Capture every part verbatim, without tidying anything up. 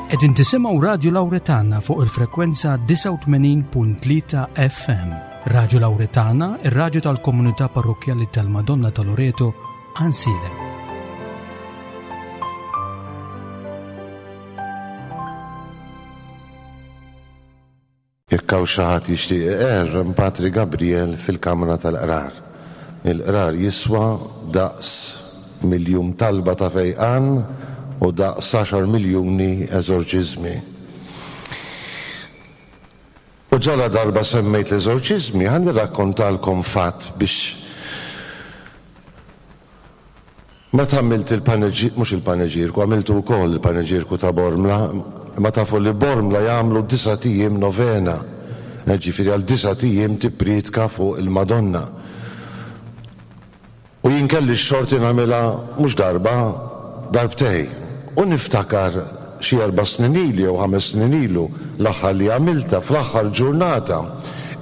Qegħdin tisimgħu Radju Lawretana fuq il-frekwenza disgħa u tmenin punt tlieta F M. Radju Lawretana, ir-radju tal-Komunità Parrokkjali tal-Madonna ta' Loreto, Għajnsielem. Jekk hawn xi ħadd jixtieq iqerr, hemm Patri Gabriel fil-Kamra tal-Qrar. Il-qrar jiswa daqs miljun talba ta' fejqan u daqs għaxar miljuni eżorċiżmi. U ġala darba semmejt l-eżorċiżmi, ħa nirrakkontalkom fatt biex meta għamilt il-paneġir, mhux il-paneġirku, għamiltu wkoll il-paneġirku ta' Bormla, ma tafu li Bormla jagħmlu disat ijiem novena, ġifieri għal disat ijiem tippriedka fuq il-Madonna. U jien kelli x-xorti nagħmilha mhux darba, darbtej. U niftakar xi erba' snin ilu jew ħames snin ilu l-aħħar li għamilta, fl-aħħar ġurnata,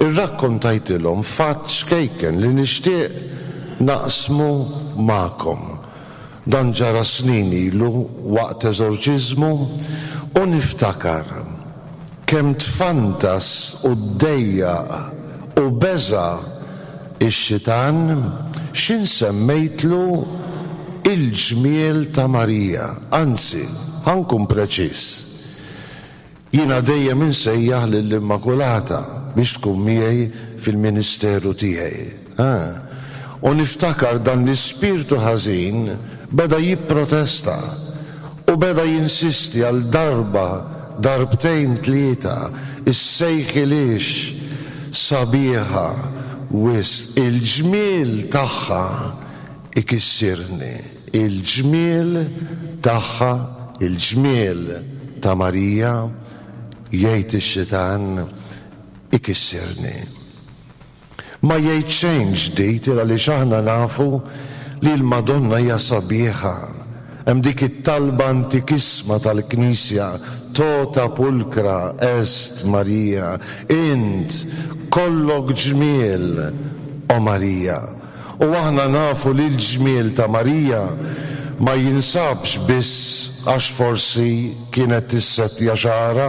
irrakkontajtilhom fatt xkejken li nixtieq naqsmu magħkom. Dan ġara snin ilu waqt eżorċiżmu u niftakar kemm tfantas u ddejjaq u beża' ix-xitan x'in semmejtlu il-ġmiel ta' Marija. Anzi, ħa nkun preċiż. Jiena dejjem insejjaħ lill-Immakulata biex tkun miegħi fil-ministeru tiegħi. Ah. U niftakar dan l-ispirtu ħażin beda jipprotesta u beda jinsisti għal darba, darbtejn, tlieta, issejħilix sabiħa wisq, il-ġmiel tagħha ikissirni, il-ġmiel tagħha, il-ġmiel ta' Marija, jgħid ix-xitan, ikissirni. Ma jgħid xejn ġdid għaliex aħna nafu li l-Madonna hija sabiħa. Hemm dik it-talba antikissma tal-Knisja, tota pulchra est Maria, int kollok ġmiel, o Marija. U aħna nafu li l-ġmiel ta' Marija ma jinsabx biss għax forsi kienet tissettja xagħarha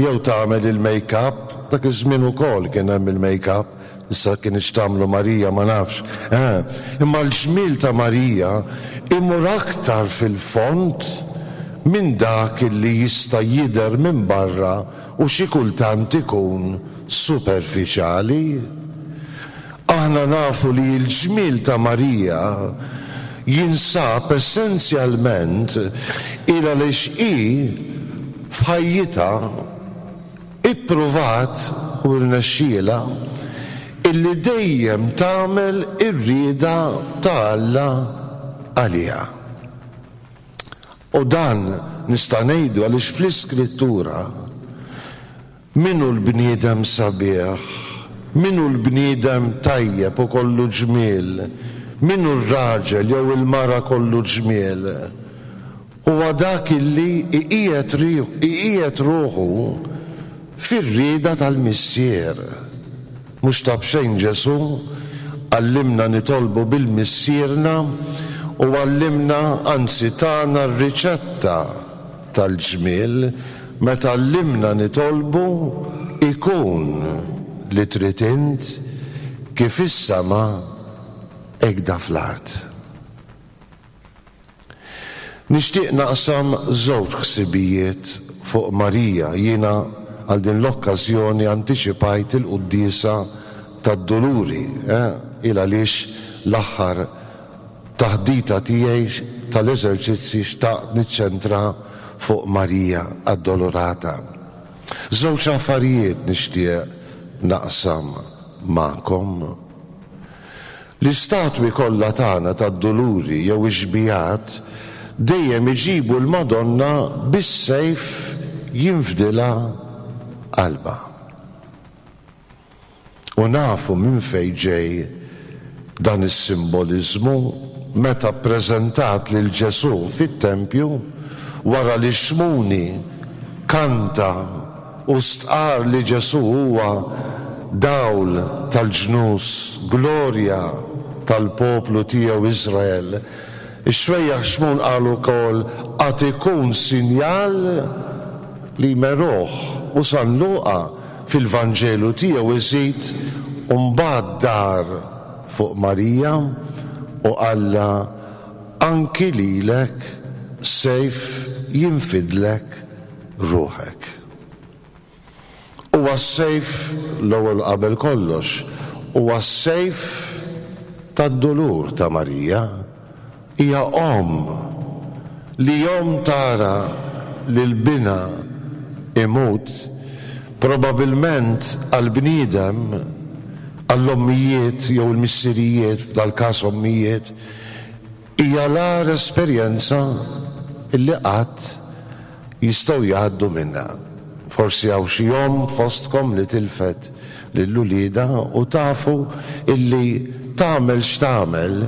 jew tagħmel il-make-up, dak iż-żmien ukoll kien hemm il-make-up, issa kien tagħmlu Marija ma nafx. Eh, imma l-ġmiel ta' Marija imur aktar fil-fond minn dak li jista' jidher minn barra u xi kultant ikun superfiċjali. Aħna nafu li l-ġmiel ta' Marija jinsab essenzjalment il għaliex hi f'ħajjitha ippruvat u rnexxielha illi dejjem tagħmel ir-rieda ta' Alla għaliha. U dan nista' ngħidu għaliex fl-Iskrittura min hu l-bniedem sabiħ, min hu l-bniedem tajjeb u kollu ġmiel, min hu r-raġel jew il-mara kollu ġmiel, huwa dak illi iqiegħed ruħu fir-rieda tal-Missier. Mhux ta' b'xejn Ġesù għallimna nitolbu bil-Missierna u għallimna, anzi tana r-riċetta tal-ġmiel meta għallimna nitolbu ikun li trid int kif is-sema hekk fl-art. Nixtieq naqsam żewġ ħsibijiet fuq Marija. Jiena għal din l-okkażjoni antiċipajt il-quddiesa tad-Duluri, eh? Il għaliex l-aħħar taħdita tiegħi tal-eżerċizzi xtaqt niċċentra fuq Marija Addolorata. Żewġ affarijiet nixtieq naqsam magħkom. L-istatwi kollha tagħna tad-Duluri jew ix-xbihat dejjem iġibu l-Madonna bis-sejf jinfdilha qalbha. U nafu minn fejn ġej dan is-simbolizmu: meta ppreżentat lil Ġesù fit-tempju wara li Xmuni kanta u stqar li Ġesù huwa dawl tal-ġnus, glorja tal-poplu tiegħu Izrael. Ix-xwejjaħ Xmun qal ukoll għad ikun sinjal li jmeruh, u San Luqa fil-Vanġelu tiegħu iżid u mbagħad dar fuq Marija u qallha anki lilek sejf jinfidlek ruħek. Huwa s-sejf l-ewwel qabel kollox, huwa s-sejf tad-dulur ta' Marija. Hija omm li omm tara lil binha imut, probabilment għall-bniedem, għall-ommijiet jew il-missirijiet, f'dal-każ ommijiet, hija l-agħar esperjenza illi qatt jistgħu jgħaddu minnha. Forsi hawn xi omm fostkom li tilfet lil uliedha u tafu illi tagħmel x'tagħmel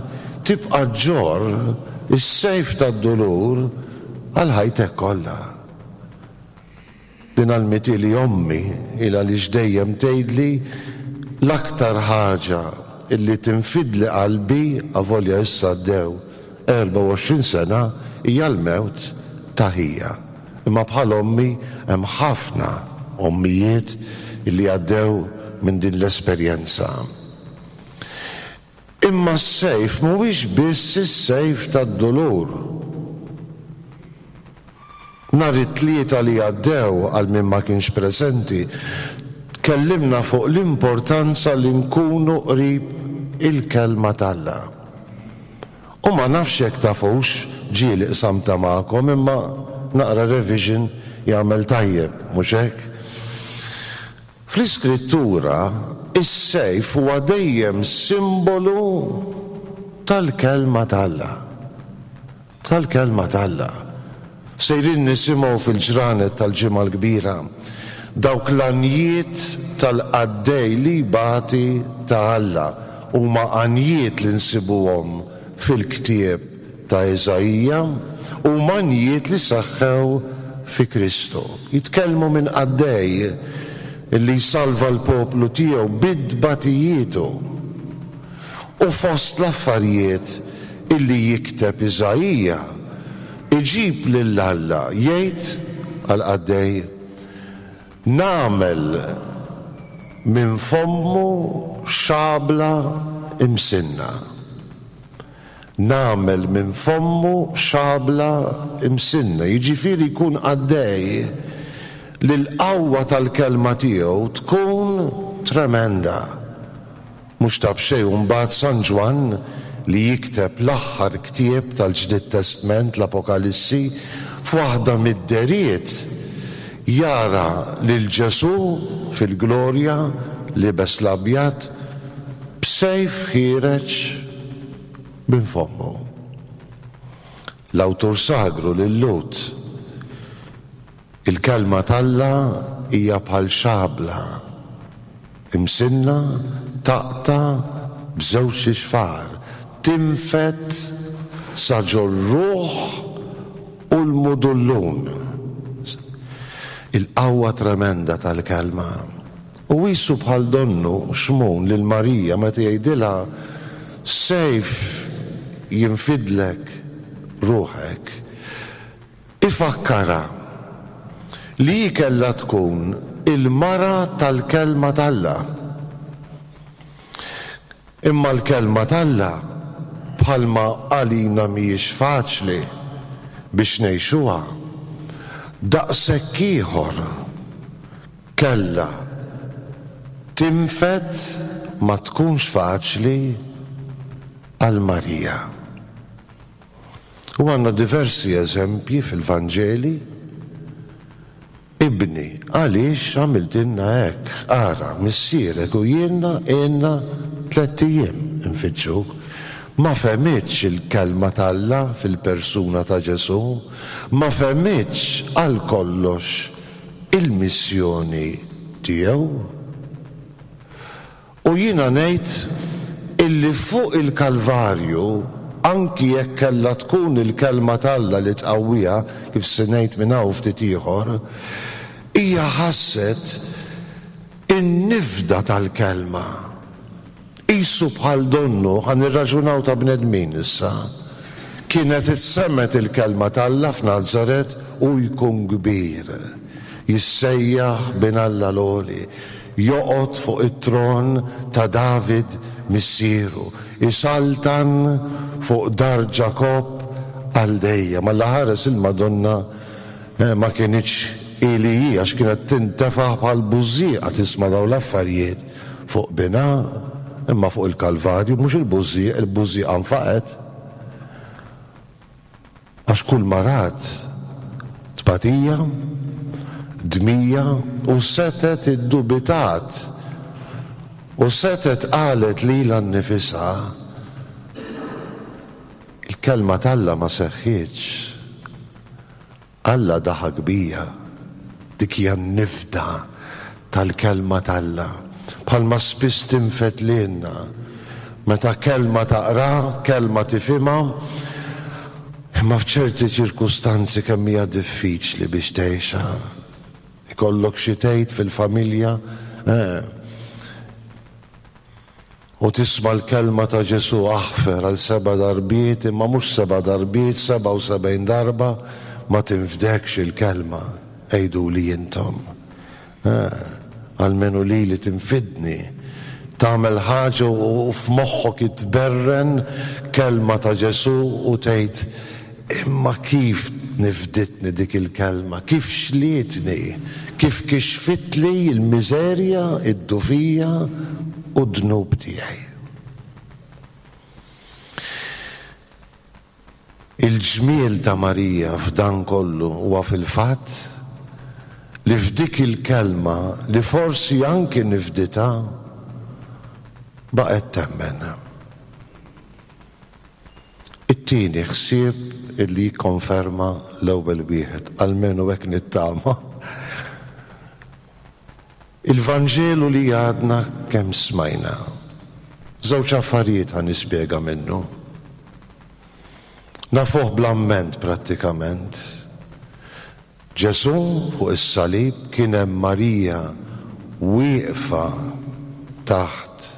tibqa' ġġorr is-sejf tad-dulur għal ħajtek kollha. Din għallmithieli ommi il għaliex dejjem tgħidli l-aktar ħaġa illi tinfidli qalbi, avolja issa għaddew erbgħa u għoxrin sena, hija l-mewt ta' ħija. Imma bħal ommi hemm ħafna ommijiet illi għaddew minn din l-esperjenza. Imma s-sejf mhuwiex biss is-sejf tad-dulur. Nhar it-Tlieta li għaddew, għal min ma kienx preżenti, tkellimna fuq l-importanza li nkunu qrib il-kelma t'Alla. U ma nafx jekk tafux, ġieli qsamta magħkom, imma naqra revision jagħmel tajjeb, mhux hekk? Fl-Iskrittura, is-sejf huwa dejjem simbolu tal-kelma t'Alla. Tal-kelma t'Alla. Sejrin nisimgħu fil-ġranet tal-Ġimgħa l-Kbira dawk l-għanjiet tal-qaddej li jbati ta' Alla, huma għanjiet li nsibuhom fil-ktieb ta' Iżaija, huma għanjiet li seħħew fi Kristu. Jitkellmu minn qaddej li jsalva l-poplu tiegħu bid-tbatijietu. U fost l-affarijiet illi jikteb Iżaija, iġib lil Alla jgħid għal-qaddej, nagħmel minn fommu xabla imsinna. Nagħmel minn fommu xabla imsinna. Jiġifieri jkun qaddej li l-qawwa tal-kelma tiegħu tkun tremenda. Mhux ta' b'xejn mbagħad San Ġwann li jikteb l-aħħar ktieb tal-Ġdid Testment, l-Apokalissi, f'waħda mid-deriet jara lil Ġesù fil-glorja libes l-abjad b'sejf ħiereġ minn fommu. L-awtur sagru lil Lut, il-kelma t'Alla hija bħal xabla imsinna taqta' b'żewġ ixfar, tinfed sa ġol-ruħ u l-mudullun. Il-qawwa tremenda tal-kelma. U qisu bħal donnu Xmun lil Marija meta jgħidilha sejf jinfidlek ruħek, ifakkara li hi kellha tkun il-mara tal-kelma t'Alla. Imma l-kelma t'Alla bħalma għalina mhijiex faċli biex ngħixuha, daqshekk ieħor kellha tinfed ma tkunx faċli għal Marija. U għandna diversi eżempji fil-Vanġeli. Ibni, għaliex għamiltilna hekk? Ara, missierek u jiena għinna tlett ijiem infittxuk. Ma fehmitx il-kelma t'Alla fil-persuna ta' Ġesù, ma fehmitx għal kollox il-missjoni tiegħu. U jiena ngħid illi fuq il-Kalvarju, anki jekk kellha tkun il-kelma t'Alla li tqawwiha, kif se ngħid minn hawn ftit ieħor, hija ħasset in-nifda tal-kelma. Qisu bħal donnu, ħa nirraġunaw ta' bnedmin issa, kienet issemmet il-kelma t'Alla f'Nazaret u jkun kbir. Jissejjaħ bin Alla l-Għoli, joqgħod fuq it-tron ta' David missieru, isaltan fuq dar Ġakobb għal dejjem. Alla ħares il-Madonna ma kinitx ili hi, għax kienet tintefaħ bħal bużżieqa tisma' dawn l-affarijiet fuq binha, imma fuq il-Kalvarju mhux il-bużżieq, il-bużżieqa nfaqet. Għax kull ma rat tbatija, dmija u setet iddubitat u setet qalet lilha nnifisha, il-kelma t'Alla ma seħħitx. Alla daħak bija. Dik hija n-nifda tal-kelma t'Alla. Bħalma spiss tinfed lilna. Meta kelma taqra, kelma tifhimha, imma f'ċerti ċirkustanzi kemm hija diffiċli biex tgħixha. Ikollok xi tgħid fil-familja, eh. U tisma' l-kelma ta' Ġesù aħfer għal seba' darbiet, imma mhux seba' darbiet, seba' u sebgħin darba, ma tinfdekx il-kelma, għidu li intom. Eh, almenu li li tinfidni. Tagħmel ħaġa u f'moħħok itberren kelma ta' Ġesù u tgħid, imma kif nifditni dik il-kelma, kif xlietni, kif kixfitli l-miżerja, id-dufija u d-dnub tiegħi. Il-ġmiel ta' Marija f'dan kollu huwa fil-fatt li f'dik il-kelma li forsi anki nifditha baqgħet temmen. It-tieni ħsieb illi jikkonferma l-ewwel wieħed, almenu hekk nittama. Il-Vanġelu li għadna kemm smajna. Żewġ affarijiet ħa nispjega minnu. Nafuh bl-amment prattikament. Ġesù fuq is-salib kien hemm Marija wieqfa taħt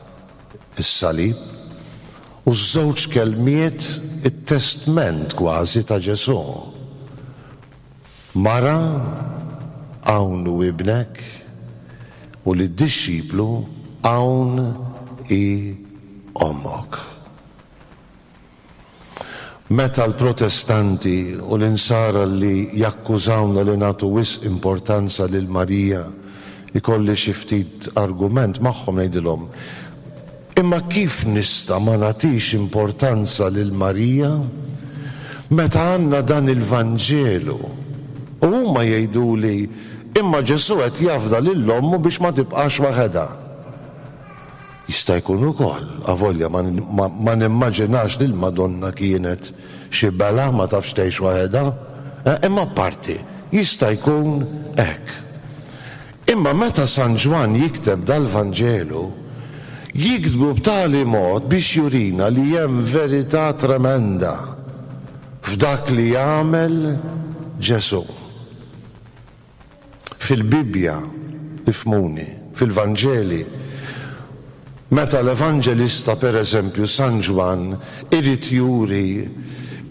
is-salib u ż-żewġ kelmiet it-testment kważi ta' Ġesù. Mara, hawn hu ibnek, u lid-dixxiplu hawn hi ommok. Meta l-Protestanti u l-insara li jakkużawna li nagħtu wisq importanza lil Marija, ikolli xi ftit argument magħhom ngħidilhom, imma kif nista' ma nagħtix importanza lil Marija meta għandna dan il-Vanġelu? U huma jgħiduli, imma Ġesù qed jafda lil ommu biex ma tibqax waħedha. Jista' jkun ukoll, avolja ma, ma, ma nimmaġinax li l-Madonna kienet xi bela ma tafx tgħix waħedha, eh, imma parti, jista' jkun hekk. Imma meta San Ġwann jikteb dal-Vanġelu, jiktbu b'tali mod biex jurina li hemm verità tremenda f'dak li jagħmel Ġesù. Fil-Bibbja, ifhmuni, fil-Vanġeli, meta l-Evanġelista, per eżempju, San Ġwann, irid juri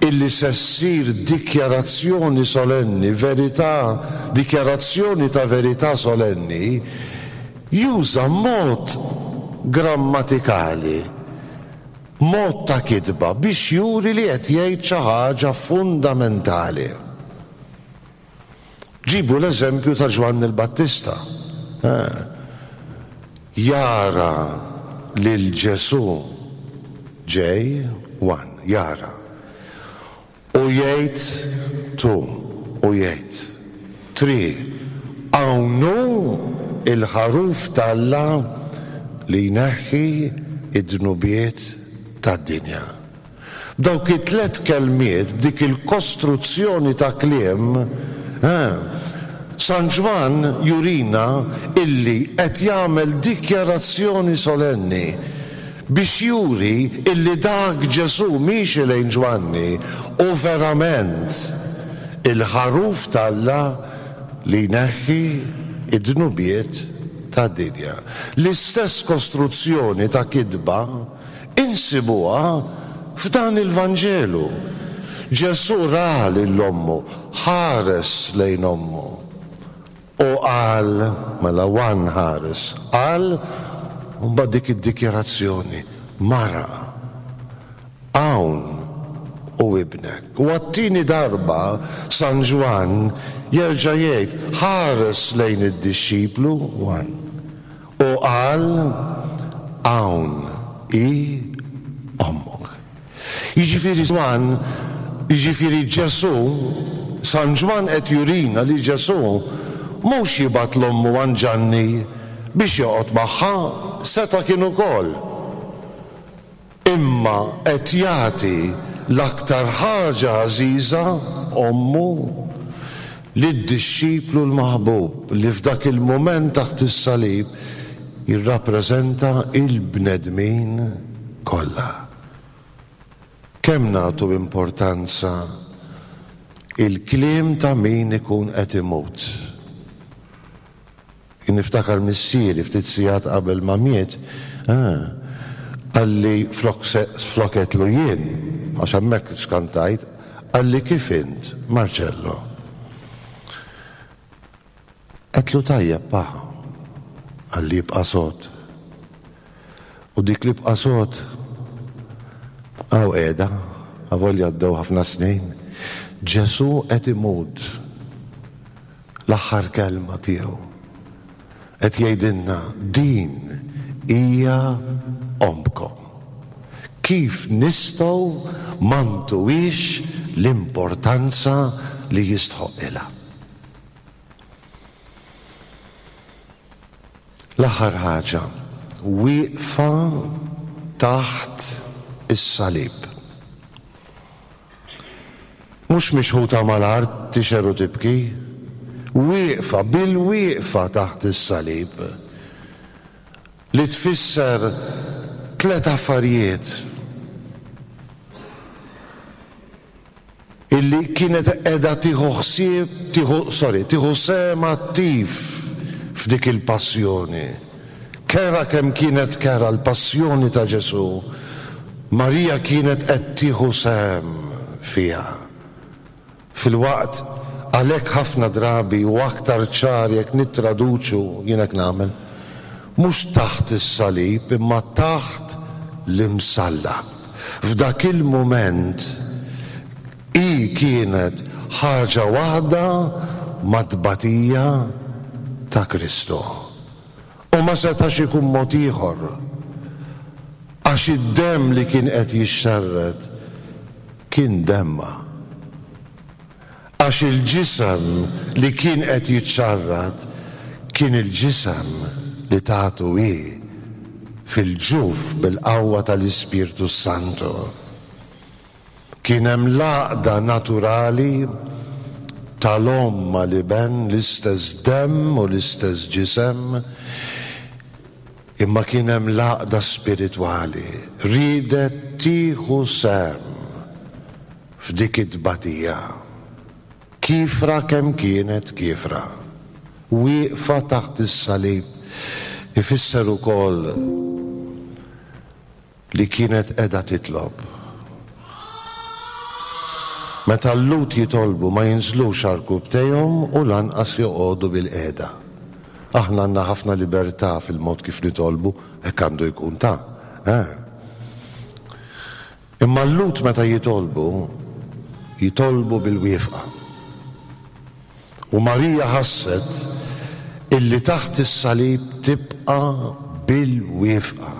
illi se ssir dikjarazzjoni solenni, verità, dikjarazzjoni ta' verità solenni, juża mod grammatikali, mod ta' kitba biex juri li qed jgħid xi ħaġa fundamentali. Ġibu l-eżempju ta' Ġwanni l-Battista. Eh. Jara lil Ġesù ġej, one, jara. U jgħid two, u jgħid three, hawn hu il-ħaruf t'Alla li jneħħi id-dnubiet tad-dinja. B'dawk it-tliet kelmiet, b'dik il-kostruzzjoni ta' kliem, eh, San Ġwann jurina illi qed jagħmel dikjarazzjoni solenni biex juri illi dak Ġesù miexi lejn Ġwanni u verament il-ħaruf t'Alla li jneħħi id-dnubiet tad-dinja. L-istess kostruzzjoni ta' kitba insibuha f'dan il-Vanġelu. Ġesù ra lil ommu, ħares lejn ommu. U qal, mela Juan ħares, qal, u mbagħad dik id-dikjarazzjoni, mara, hawn hu ibnek. U għat-tieni darba San Ġwann jerġa' jgħid, ħares lejn id-dixxiplu Juan. U qal, hawn hi ommok. Jiġifieri Ġwann, jiġifieri Ġesù, San Ġwann qed jurina li Ġesù mhux jibgħat l-ommu għand Ġanni biex joqgħod magħha, seta' kien ukoll. Imma qed jagħti l-aktar ħaġa għażiża, ommu, lid-dixxiplu l-maħbub li f'dak il-mument taħt is-salib jirrappreżenta il-bnedmin kollha. Kemm nagħtu importanza il-kliem ta' min ikun qed imut. Jien niftakar missieri ftit sigħat qabel ma miet, ah, qalli flok flok għedtlu jien, għax hemmhekk skantajt, qalli kif int, Marcello? Għedtlu tajjeb pa, qalli ibqa' sod. U dik li ibqa' sod, hawn qiegħda, avolja għaddew ħafna snin. Ġesù qed imut l-aħħar kelma tiegħu. Qed jgħidilna din hija ommkom. Kif nistgħu ma ntuhiex l-importanza li jistħoqilha? L-aħħar ħaġa, wieqfa taħt is-salib. Mhux mixħuta mal-art tixer u tibki, wieqfa bil-wieqfa taħt is-salib, li tfisser tliet affarijiet illi kienet qiegħda tieħu ħsieb, tieħu, sorry, tieħu sehem attiv f'dik il-passjoni. Kera kemm kienet kera l-passjoni ta' Ġesù, Marija kienet qed tieħu sehem fiha. Fil-waqt għalhekk ħafna drabi u aktar ċar jekk nittraduċu, jien hekk nagħmel, mhux taħt is-salib imma taħt l-imsallab. F'dak il-mument hi kienet ħaġa waħda mat-tbatija ta' Kristu. U ma setax ikun mod ieħor, għax id-demm li kien qed jixxerred kien demma. Għax il-ġisem li kien qed jiċċarrad kien il-ġisem li tagħtu hi fil-ġuf bil-qawwa tal-Ispirtu Santu. Kien hemm l-għaqda naturali tal-omm mal-iben, l-istess demm u l-istess ġisem, imma kien hemm l-għaqda spiritwali, riedet tieħu sehem f'dik it-tbatija. Kiefra kemm kienet kiefra, wieqfa taħt is-salib, ifisser ukoll li kienet qiegħda titlob. Meta l-Lhud jitolbu ma jinżlux għarkupptejhom u lanqas joqogħdu bil-qiegħda. Aħna għandna ħafna libertà fil-mod kif nitolbu, hekk għandu jkun ta'. Eh. Imma l-Lhud meta jitolbu, jitolbu bil-wieqfa. U Marija ħasset illi taħt is-salib tibqa' bil-wieqfa.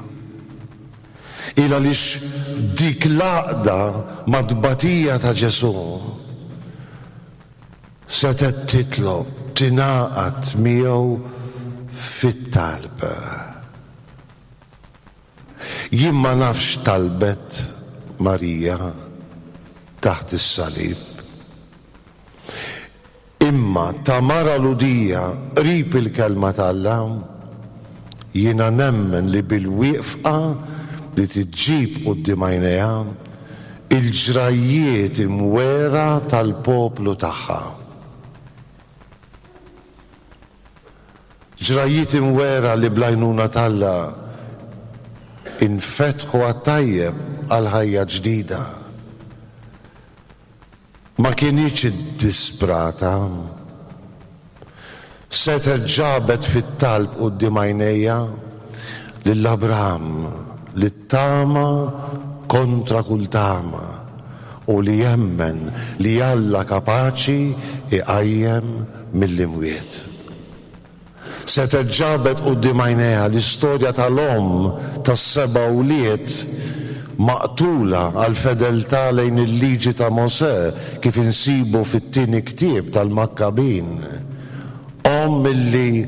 Il għaliex dik l-għaqda mat-tbatija ta' Ġesù setgħet titlob, tingħaqad miegħu fit-talb. Jien ma nafx talbet Marija taħt is-salib. Imma ta' mara Lhudija qrib il-kelma t'Alla, jiena nemmen li bil-wieqfa li tiġġib quddiem għajnejha il-ġrajjiet imwera tal-poplu tagħha. Ġrajjiet imwera li bl-għajnuna t'Alla infetħu għat-tajjeb għal ħajja ġdida. Ma kinitx iddisprata. Setgħet ġabet fit-talb quddiem għajnejha lil Abraham li tama kontra kull tama u li jemmen li Alla kapaċi iqajjem mill-imwiet. Setgħet ġabet quddiem għajnejha l-istorja tal-omm tas-seba' wlied maqtula għal fedeltà lejn il-liġi ta' Mosè kif insibu fit-tieni ktieb tal-Makkabin. Omm illi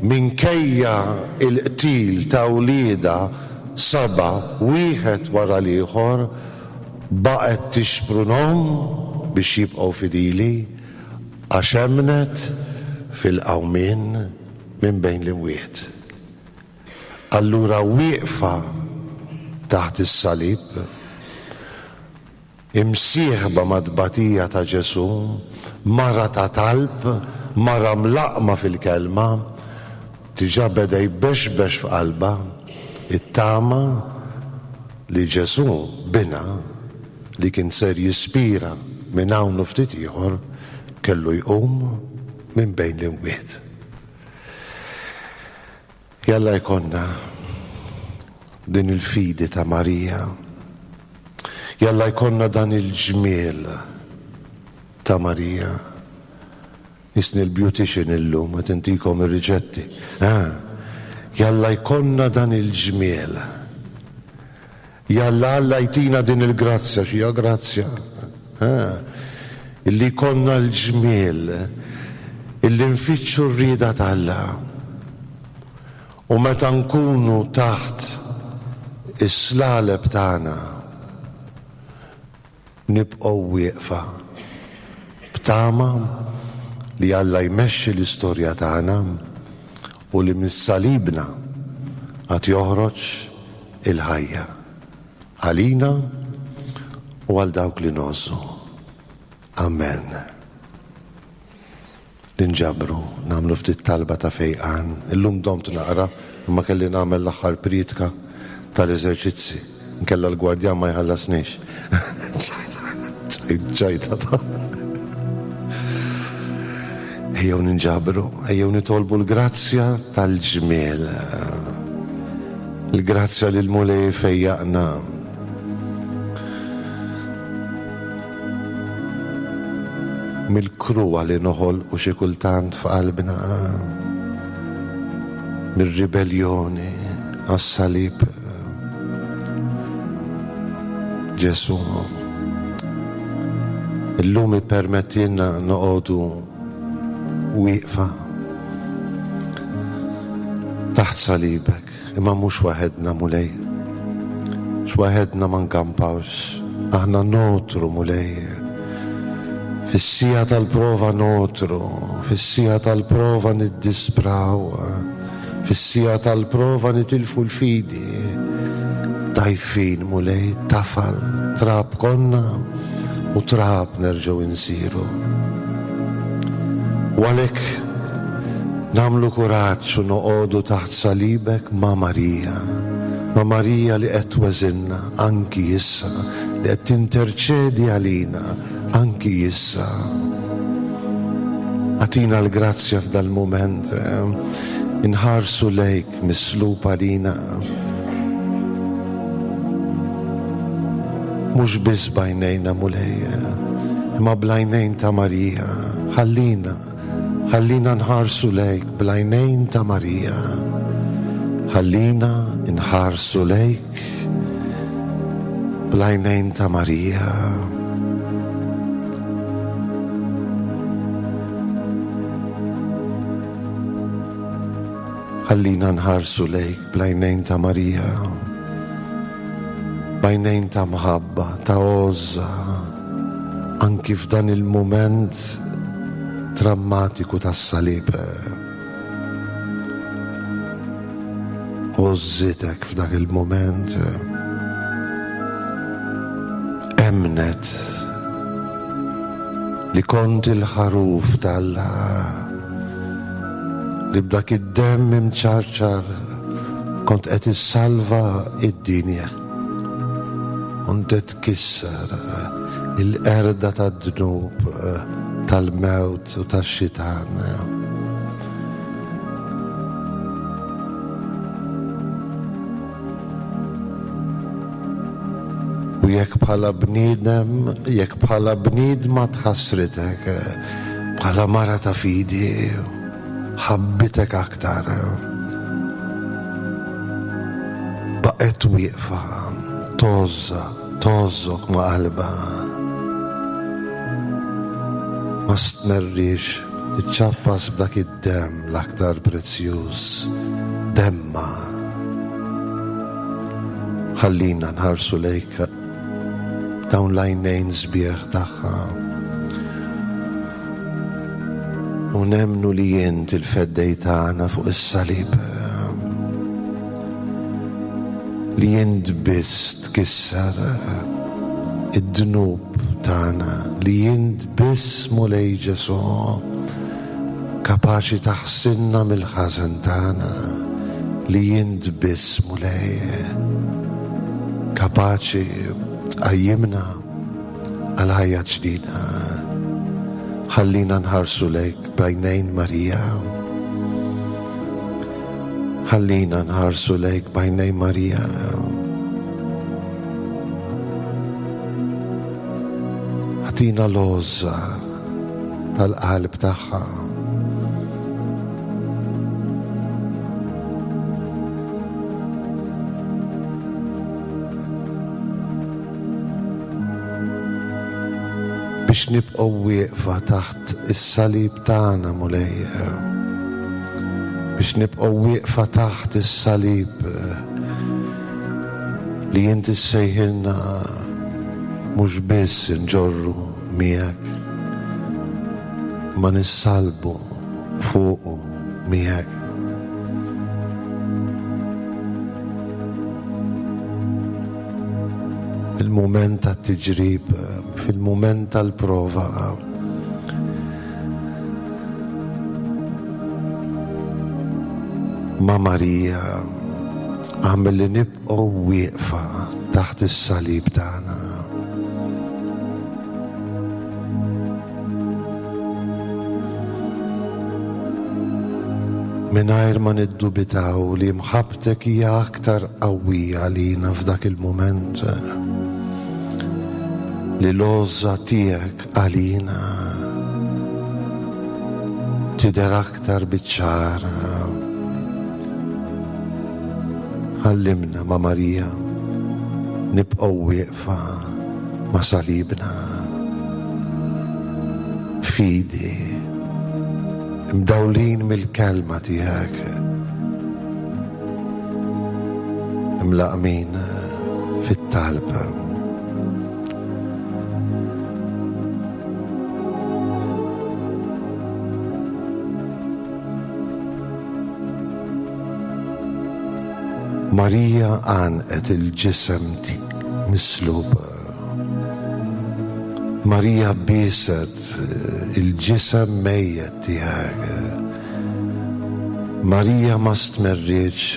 minkejja il-qtil ta' wliedha seba' wieħed wara l-ieħor baqgħet tixprunhom biex jibqgħu fidili għax emnet fil-qawmien minn bejn l-imwiet. Allura wieqfa taħt is-salib, imsieħba mat-tbatija ta' Ġesù, mara ta' talb, mara mlaqma fil-kelma, diġà beda jbexbex f'qalbha it-tama li Ġesù binha li kien ser jispira minn hawn u ftit ieħor kellu jqum minn bejn l-imwiet. Jalla jkollna din il-fidi ta' Marija. Jalla jkollna dan il-ġmiel ta' Marija. Isni l-beautician illum, qed intikom ir-riċetti. Ah, jalla jkollna dan il-ġmiel. Jalla Alla jtina din il-grazzja, xija grazzja. Ah, illi jkollna l-ġmiel, illi nfittxu r-rieda t'Alla. U meta nkunu taħt is-slaleb tagħna nibqgħu wieqfa b'tama li Alla jmexxi l-istorja tagħna u li mis-salibna għad joħroġ il-ħajja għalina u għal dawk li ngħożżu. Amen. Ninġabru, nagħmlu ftit talba ta' fejqan. Illum domt naqra, imma kelli nagħmel l-aħħar priedka tal-eżerċizzi. Nkella l-gwardjan ma jħallasniex. Ċajta ta'. Ejjew ninġabru, ejjew nitolbu l-grazzja tal-ġmiel. Il-grazzja li l-Mulej fejjaqna. Mill-kruha li noħol u xi kultant f'qalbna, mir-ribellioni għas-salib. Ġesù, illum ippermettilna noqogħdu wieqfa taħt salibek, imma mhux waħedna Mulej. X'waħedna ma nkampawx, aħna notru Mulej. Fis-sija tal-prova notru, fis-sija tal-prova niddispraw, fis-sija tal-prova nitilfu l-fidi. Dajfin Mulej, tafal, trab konna u trab nerġgħu insiru. U għalhekk nagħmlu kuraġġ u noqogħdu taħt salibek ma' Marija, ma' Marija li qed tweżinna anki issa, li qed tinterċedi għalina anki issa. Agħtina l-grazzja f'dal-mument, inħarsu lejk mislub għalina. Mhux biss b'għajnejna Mulej, imma bl-għajnejn ta' Marija. Ħallina, ħallina nħarsu lejk bl-għajnejn ta' Marija. Ħallina nħarsu lejk bl-għajnejn ta' Marija. Ħallina nħarsu lejk bl-għajnejn ta' Marija, b'għajnejn ta' mħabba, ta' għożża, anki f'dan il-mument drammatiku tas-salib. Għożżitek f'dak il-mument, emnet li kont il-ħaruf t'Alla, li b'dak id-demm imċarċar kont qed issalva id-dinja. Kont qed tkisser il-qerda tad-dnub, tal-mewt u tax-xitan. U jekk bħala bniedem, jekk bħala bniedma tħassritek, bħala mara ta' fidi, ħabbitek aktar. Baqgħet wieqfa, tgħożża, tgħożżok ma' qalbha. Ma stmerriex tiċċappas b'dak id-demm l-aktar prezzjuż, demma. Ħallina nħarsu lejk dawn l-għajnejn sbieħ tagħha. U nemmnu li int il-feddej tagħna fuq is-salib. Li int biss tkisser id-dnub tagħna, li int biss Mulej Ġesù kapaċi taħsilna mill-ħażen tagħna, li int biss Mulej kapaċi tqajjimna għal ħajja ġdida. Ħallina nħarsu lejk b'għajnejn Marija. Ħallina nħarsu lejk b'għajnejn Marija. Ħatina l-għożża tal-qalb tagħha. Biex nibqgħu wieqfa taħt is-salib tagħna, Mulej. Biex nibqgħu wieqfa taħt is-salib li inti ssejħilna mhux biss inġorru miegħek, ma nissalbu fuqu miegħek. Fil-mument tat-tiġrib, fil-mument tal-prova, ma' Marija għamel li nibqgħu wieqfa taħt is-salib tagħna. Mingħajr ma niddubitaw li mħabbtek hija aktar qawwija għalina f'dak il-mument, li l-għożża tiegħek għalina tidher aktar biċ-ċar. Ħallimna ma' Marija nibqgħu wieqfa ma' salibna. Fidi, imdawlin mill-kelma tiegħek, imlaqmin fit-talb. Marija għanqet il-ġisem mislub. Marija bieset il-ġisem mejjet tiegħek. Marija ma stmerrietx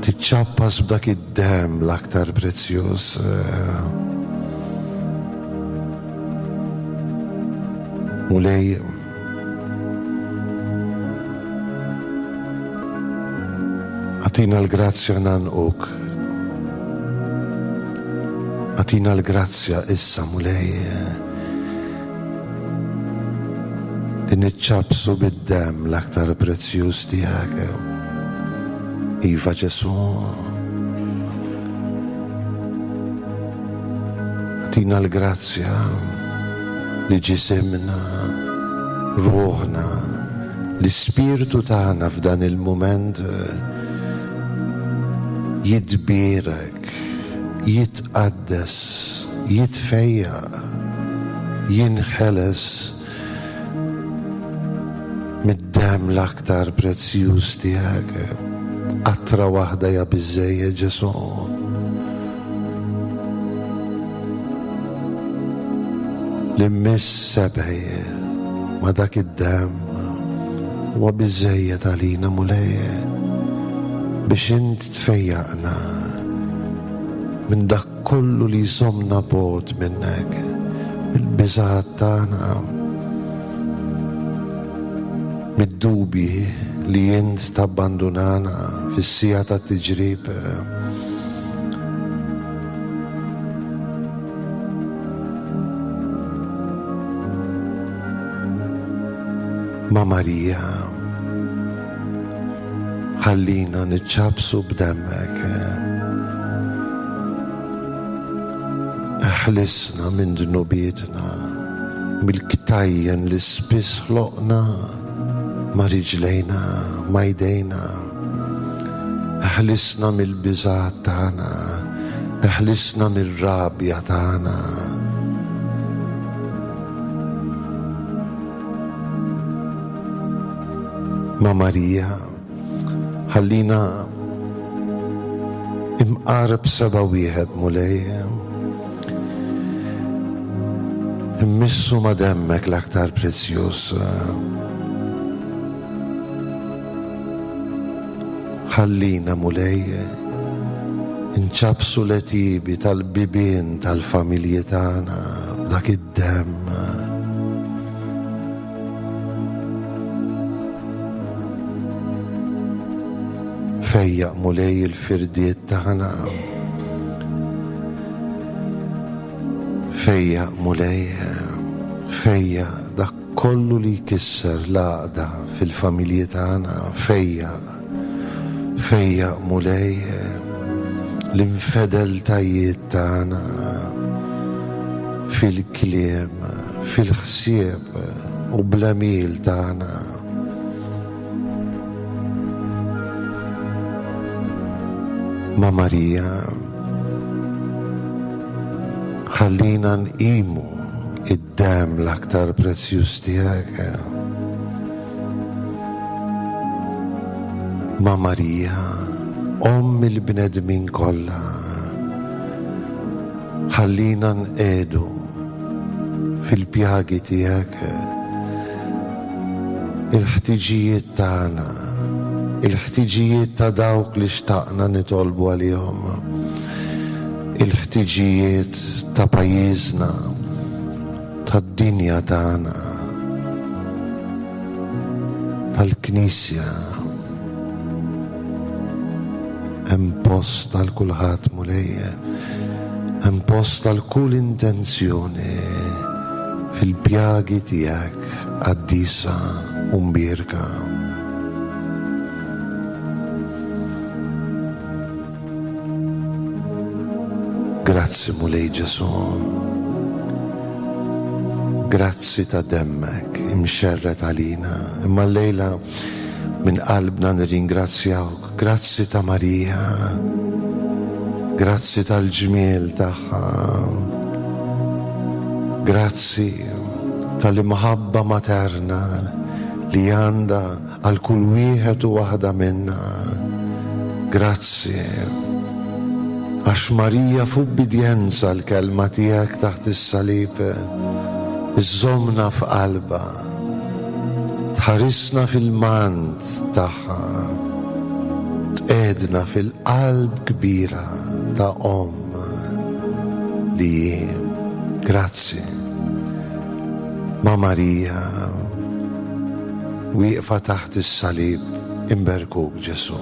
tiċċappas b'dak id-demm l-aktar prezzjuż. Mulej, għatina l-grazzja nanquk. Għatina l-grazzja issa, Mulej, li niċċapsu bid-demm l-aktar prezzjuż tiegħek. Iva Ġesù, għatina l-grazzja li ġisimna, ruħna, l-ispirtu tagħna f'dan il-mument jitbierek, jitqaddes, jitfejjaq, jinħeles mid-demm l-aktar prezzjuż tiegħek. Qatra waħda hija biżżejjed, Ġesù. Li mmiss sebgħi ma' dak id-demm huwa biżżejjed għalina, Mulej, biex int tfejjaqna minn dak kollu li jżommna bogħod minnek, mill-biżgħat tagħna, mid-dubji li int tabbandunana fis-siegħa tat-tiġrib. Ma' Marija, ħallina niċċabsu b'demmek. Eħlisna minn dnubietna, mill-ktajjen li spiss ħloqna ma' riġlejna, ma' jdejna. Eħlisna mill-biżgħat tagħna, eħlisna mir-rabja tagħna. Ma' Marija, ħallina imqarb seba' wieħed Mulej. Immissu ma' demmek l-aktar prezzjuż. Ħallina Mulej nċabsu l-għetiebi tal-bibien tal-familji tagħna b'dak id-demm. Fejjaq Mulej il-firdiet tagħna. Fejjaq Mulej, fejjaq dak kollu li jkisser l-għaqda fil-familji tagħna. Fejjaq, fejjaq Mulej l-infedeltajiet tagħna fil-kliem, fil-ħsieb u bl-għemil tagħna. Ma' Marija, ħallina nqimu id-demm l-aktar prezzjuż tiegħek. Ma' Marija, Omm il-bnedmin kollha, ħallina nqegħdu fil-pjagi tiegħek il-ħtiġijiet tagħna, il-ħtiġijiet ta' dawk li xtaqna nitolbu għalihom, il-ħtiġijiet ta' pajjiżna, tad-dinja tagħna, tal-Knisja. Hemm post għal kulħadd Mulej, hemm post għal kull intenzjoni fil-pjagi tiegħek qaddisa u mbierka. Grazzi Mulej Ġesù. Grazzi ta' demmek imxerred għalina. Imma llejla minn qalbna nirringrazzjawk. Grazzi ta' Marija. Grazzi tal-ġmiel tagħha. Grazzi tal-imħabba materna li għandha għal kull wieħed u waħda minna. Grazzi għax Marija f'ubbidjenza l-kelma tiegħek taħt is-salib iżżommna f'qalbha, tħarisna fil-mant tagħha, tqegħdna fil-qalb kbira ta' omm li hi. Grazzi. Ma' Marija wieqfa taħt is-salib imberkuk Ġesù.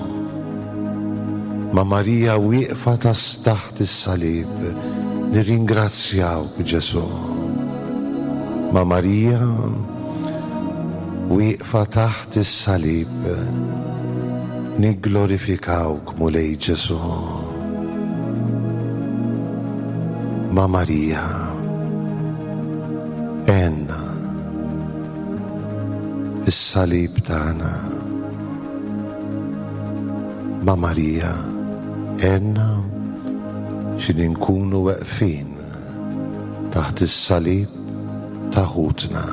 Ma' Marija wieqfa taħt is-salib nirringrazzjawk Ġesù. Ma' Marija wieqfa taħt is-salib nigglorifikawk Mulej Ġesù. Ma' Marija għenna fis-salib tagħna. Ma' Marija għenna xi nkunu weqfin taħt is-salib ta' ħutna.